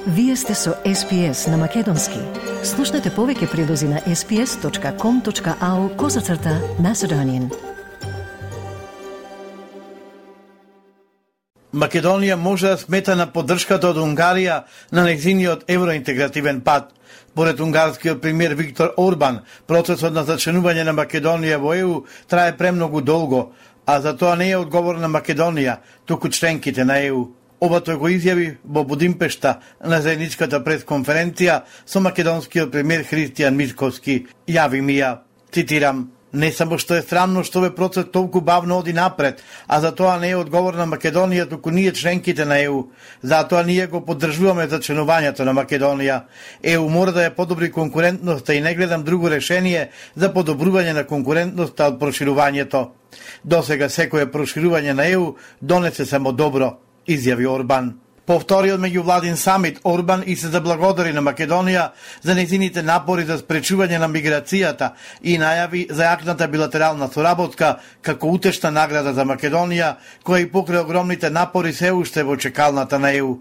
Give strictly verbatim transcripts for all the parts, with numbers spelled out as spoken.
Вие сте со Ес Пи Ес на Македонски. Слушнете повеќе прилози на ес пи ес точка ком точка ау козацрта Macedonian. Македонија може да смета на поддршката од Унгарија на нејзиниот евроинтегративен пат. Поред унгарскиот премиер Виктор Орбан, процесот на зачленување на Македонија во Е У трае премногу долго, а за тоа не е одговор на Македонија, туку членките на Е У. Ова тој го изјави во Будимпешта на заедничката пресконференција со македонскиот премиер Христијан Мицкоски. Јави ми ја, цитирам: "Не само што е срамно што овој процес толку бавно оди напред, а за тоа не е одговор на Македонија, туку ние членките на Е У. Затоа ние го поддржуваме зачленувањето на Македонија. Е У мора да ја подобри конкурентноста и не гледам друго решение за подобрување на конкурентноста од проширувањето. Досега секое проширување на Е У донесе само добро", изјави Орбан. По вториот меѓувладин самит, Орбан и се заблагодари на Македонија за нејзините напори за спречување на миграцијата и најави за јакната билатерална соработка како утешна награда за Македонија, која и покрај огромните напори се уште во чекалната на Е У.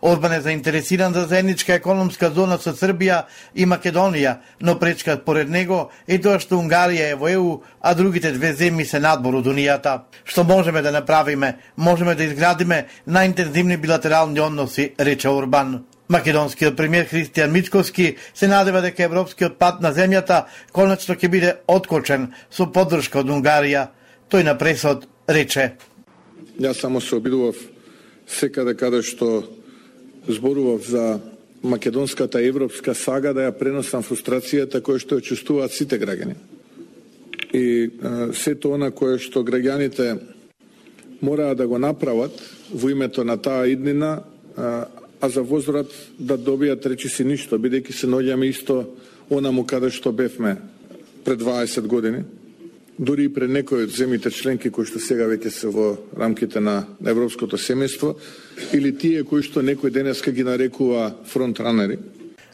Орбан е заинтересиран за заедничка економска зона со Србија и Македонија, но пречка според него е тоа што Унгарија е во Е У, а другите две земји се надвор од Унијата. Што можеме да направиме? Можеме да изградиме најинтензивни билатерални односи, рече Орбан. Македонскиот премиер Христијан Мицкоски се надева дека европскиот пат на земјата конечно ќе биде откочен со поддршка од Унгарија. Тој на пресот рече: "Јас само се обидував секаде каде што зборував за македонската европска сага да ја преносам фрустрацијата која што ја чувствуваат сите граѓани. И е, сето она кое што граѓаните мораат да го направат во името на таа иднина, а, а за возврат да добијат речиси ништо, бидејќи се наоѓаме исто онаму каде што бевме пред дваесет години. Дури и пред некои од земјите членки кои што сега веќе се во рамките на европското семејство, или тие кои што некој денеска ги нарекува фронтранери."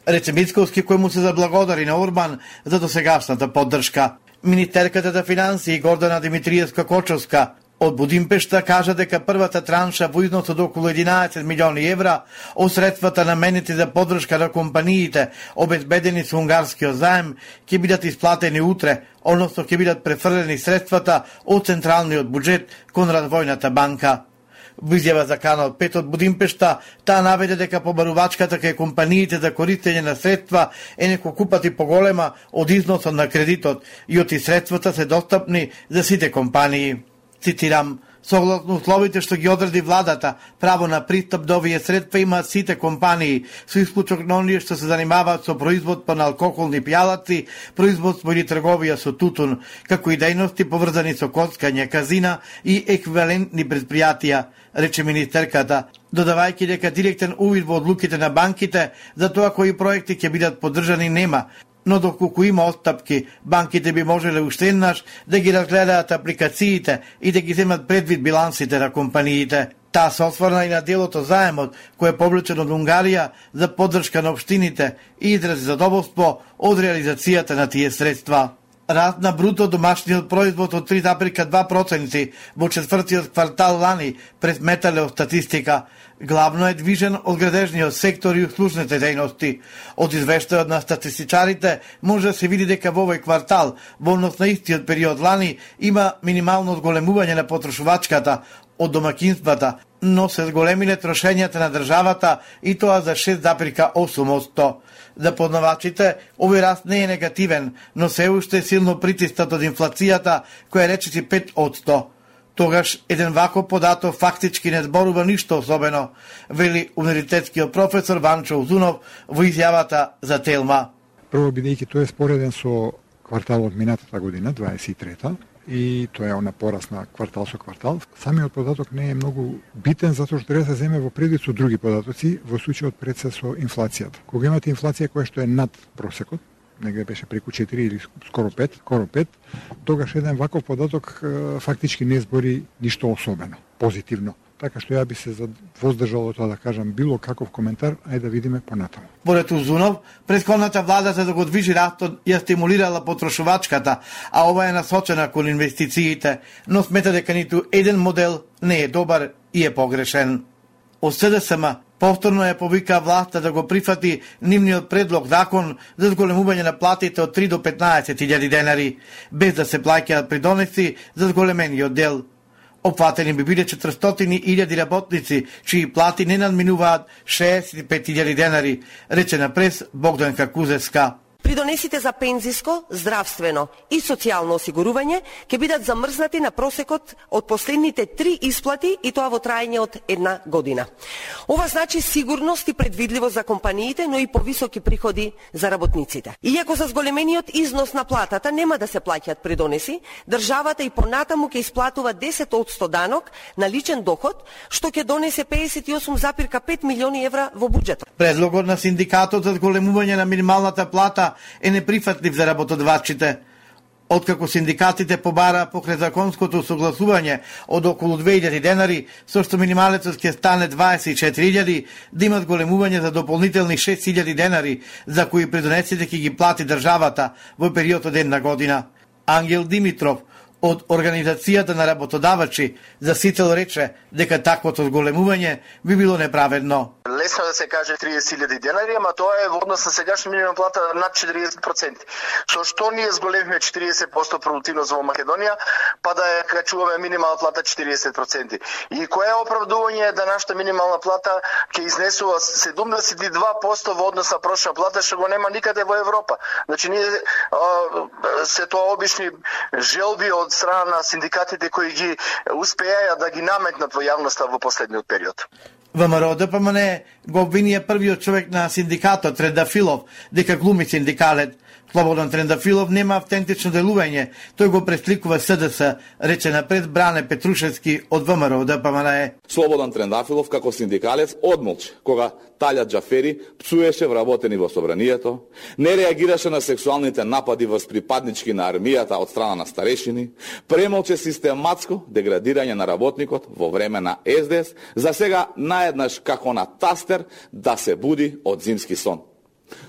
Рече Мицкоски, кој му се заблагодари на Орбан за досегашната поддршка. Министерката за финансии Гордана Димитриевска-Кочовска од Будимпешта кажа дека првата транша во износ од околу единаесет милиони евра од средствата наменети за поддршка на компаниите обезбедени со унгарскиот заем ќе бидат исплатени утре, односно ќе бидат префрлени средствата од централниот буџет кон Развојната банка. Во изјава за Канал пет од Будимпешта, таа наведе дека побарувачката кај компаниите за користење на средства е неколку пати поголема од износот на кредитот и оти средствата се достапни за сите компании. Цитирам: "Согласно условите што ги одреди владата, право на пристап до овие средства имаат сите компании, со исклучок на оние што се занимаваат со производство на алкохолни пијалаци, производство или трговија со тутун, како и дејности поврзани со коцкање, казина и еквивалентни предпријатија", рече министерката, додавајќи дека директен увид во одлуките на банките за тоа кои проекти ќе бидат поддржани нема, но доколку има отстапки, банките би можеле уште еднаш да ги разгледаат апликациите и да ги земат предвид билансите на компаниите. Таа се осврна и на делото заемот, кој е повлечен од Унгарија за поддршка на општините и изрази задоволство од реализацијата на тие средства. Раст на бруто домашниот производ од три зарез два проценти во четвртиот квартал лани пред метале статистика. Главно е движен од градежниот сектор и услужните дејности. Од извештајот на статистичарите може да се види дека во овој квартал, во однос на истиот период лани, има минимално зголемување на потрошувачката од домакинствата, но се зголемиле трошењата на државата и тоа за шест зарез осум одсто. За познавачите, овој раст не е негативен, но се уште е силно притиснат од инфлацијата, која речиси пет одсто. Тогаш еден ваков податок фактички не зборува ништо особено, вели универзитетскиот професор Ванчо Узунов во изјавата за Телма. Прво, бидејќи тој е спореден со кварталот минатата година, дваесет и трета, и тоа е она пораст на квартал со квартал. Самиот податок не е многу битен, затоа што треба да се земе во предвид со други податоци, во случајот пред се со инфлацијата. Кога имате инфлација која што е над просекот, негде беше преку четири или скоро пет, скоро пет, тогаш еден ваков податок е, фактички не збори ништо особено, позитивно. Така што ја би се воздржал од тоа да кажам било каков коментар, ајде да видиме понатаму. Поред Узунов, претходната влада за да го движи растот ја стимулирала потрошувачката, а ова е насочена кон инвестициите, но смета дека ниту еден модел не е добар и е погрешен. Од С Д С М Повторно ја повика власта да го прифати нивниот предлог закон за зголемување на платите од три до петнаесет илјади денари, без да се плаќаат придонеси за зголемениот дел. Опфатени би биле четиристотини илјади работници, чии плати не надминуваат шеесет и пет илјади денари, рече на прес Богданка Кузевска. Придонесите за пензиско, здравствено и социјално осигурување ќе бидат замрзнати на просекот од последните три исплати и тоа во траење од една година. Ова значи сигурност и предвидливост за компаниите, но и повисоки приходи за работниците. Иако за зголемениот износ на платата нема да се плаќаат придонеси, државата и понатаму ќе исплатува десет одсто данок на личен доход, што ќе донесе педесет и осум зарез пет милиони евра во буџетот. Предлогот на синдикатот за зголемување на минималната плата е неприфатлив за работодавачите. Откако синдикатите побара покрај законското согласување од околу две илјади денари, со што минималецот ќе стане дваесет и четири илјади, да имат големување за дополнителни шест илјади денари, за кои придонесите ќе ги плати државата во период од една година. Ангел Димитров од Организацијата на работодавачи за Сител рече дека таквото зголемување би било неправедно. Лесно да се каже триесет илјади денари, ама тоа е во однос на сегашна минимална плата над четириесет проценти. Со што ние зголемивме четириесет проценти продуктивност во Македонија, па да ја качуваме минимална плата четириесет проценти. И кое е оправдување да нашата минимална плата ќе изнесува седумдесет и два проценти во однос на прошла плата, што го нема никаде во Европа. Значи ние а, се тоа обични желби од страна на синдикатите кои ги успеаја да ги наметнат во јавноста во последниот период. ВМРО ДПМН го обвинија првиот човек на синдикатот Трендафилов дека глуми синдикалет. Слободан Трендафилов нема автентично делување, тој го пресликува СДС, рече напред Бране Петрушевски од ВМРО ДПМН. Слободан Трендафилов како синдикалец одмолчи кога Талјат Џафери пцуеше вработени во собранието, не реагираше на сексуалните напади врз припаднички на армијата од страна на старешини, премолче систематско деградирање на работникот во време на Ес Де Ес, за сега наеднаш како на тастер да се буди од зимски сон.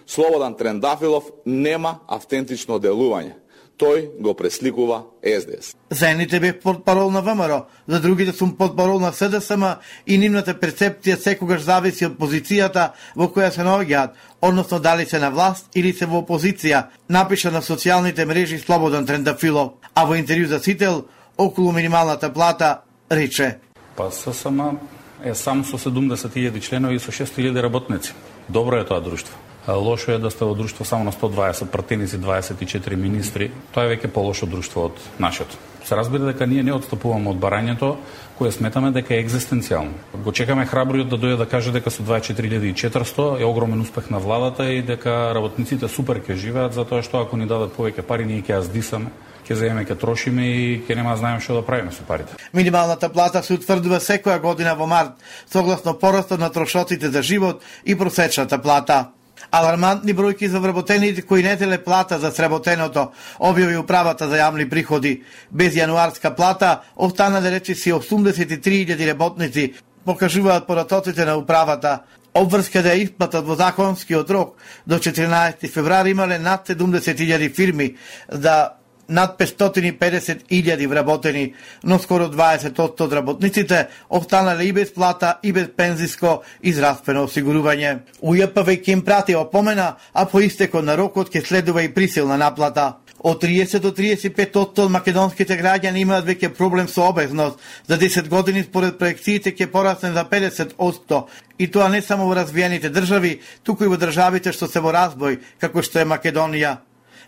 Слободан Трендафилов нема автентично делување. Тој го пресликува Ес Де Ес. За едните бев портпарол на ВМРО, за другите сум портпарол на СДСМ и нивната перцепција секогаш зависи од позицијата во која се наоѓаат, односно дали се на власт или се во опозиција, напиша на социјалните мрежи Слободан Трендафилов, а во интервју за Сител околу минималната плата рече: Па ССМ е сам со седумдесет илјади членови и со шесто илјади работници. Добро е тоа друштво. Лошо е да сте во друштво само на сто дваесет пратеници, дваесет и четири министри. Тоа е веќе полошо друштво од нашето. Се разбира дека ние не отстапуваме од барањето, кое сметаме дека е екзистенцијално. Го чекаме храбриот да дојде да каже дека со дваесет и четири илјади и четиристо е огромен успех на владата и дека работниците супер ќе живеат, затоа што ако ни дадат повеќе пари, ние ќе ја здисаме, ќе земеме, ќе трошиме и ќе нема да знаеме што да правиме со парите. Минималната плата се утврдува секоја година во март, согласно порастот на трошоците за живот и просечната плата. Алармантни бројки за вработените кои не теле плата за сработеното, објави управата за јавни приходи. Без јануарска плата останале речиси осумдесет и три илјади работници, покажуваат поратоците на управата. Обврска да ја исплатат во законскиот рок до четиринаесети февруари имале над седумдесет илјади фирми за над петстотини и педесет илјади вработени, но скоро дваесет проценти од работниците останале и без плата и без пензиско и здравствено осигурување. УЈП веќе им прати опомена, а по истекот на рокот ќе следува и присилна наплата. Од триесет до триесет и пет проценти од македонските граѓани имаат веќе проблем со обезност. За десет години според проекциите ќе порасне за педесет проценти. И тоа не само во развиените држави, туку и во државите што се во разбој, како што е Македонија.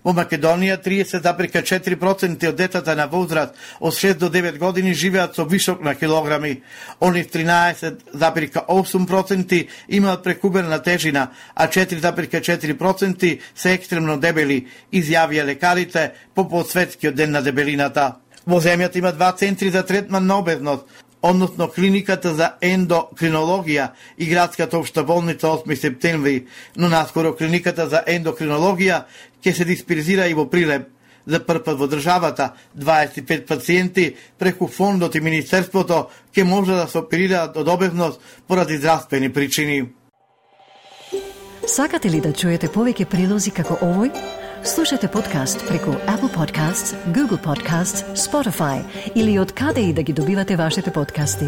Во Македонија триесет зарез четири проценти од децата на возраст од шест до девет години живеат со вишок на килограми. Они тринаесет зарез осум проценти имаат прекумерна тежина, а четири зарез четири проценти се екстремно дебели, изјавија лекарите по подсветскиот ден на дебелината. Во земјата има два центри за третман на обезност, односно клиниката за ендокринологија и градската општа болница осми септември, но наскоро клиниката за ендокринологија ќе се дисперзира и во Прилеп. За прв пат во државата, дваесет и пет пациенти преку фондот и министерството ќе може да се оперираат од обезност поради здравствени причини. Сакате ли да чуете повеќе прилози како овој? Слушате подкаст преку Apple Podcasts, Google Podcasts, Spotify или од каде и да ги добивате вашите подкасти.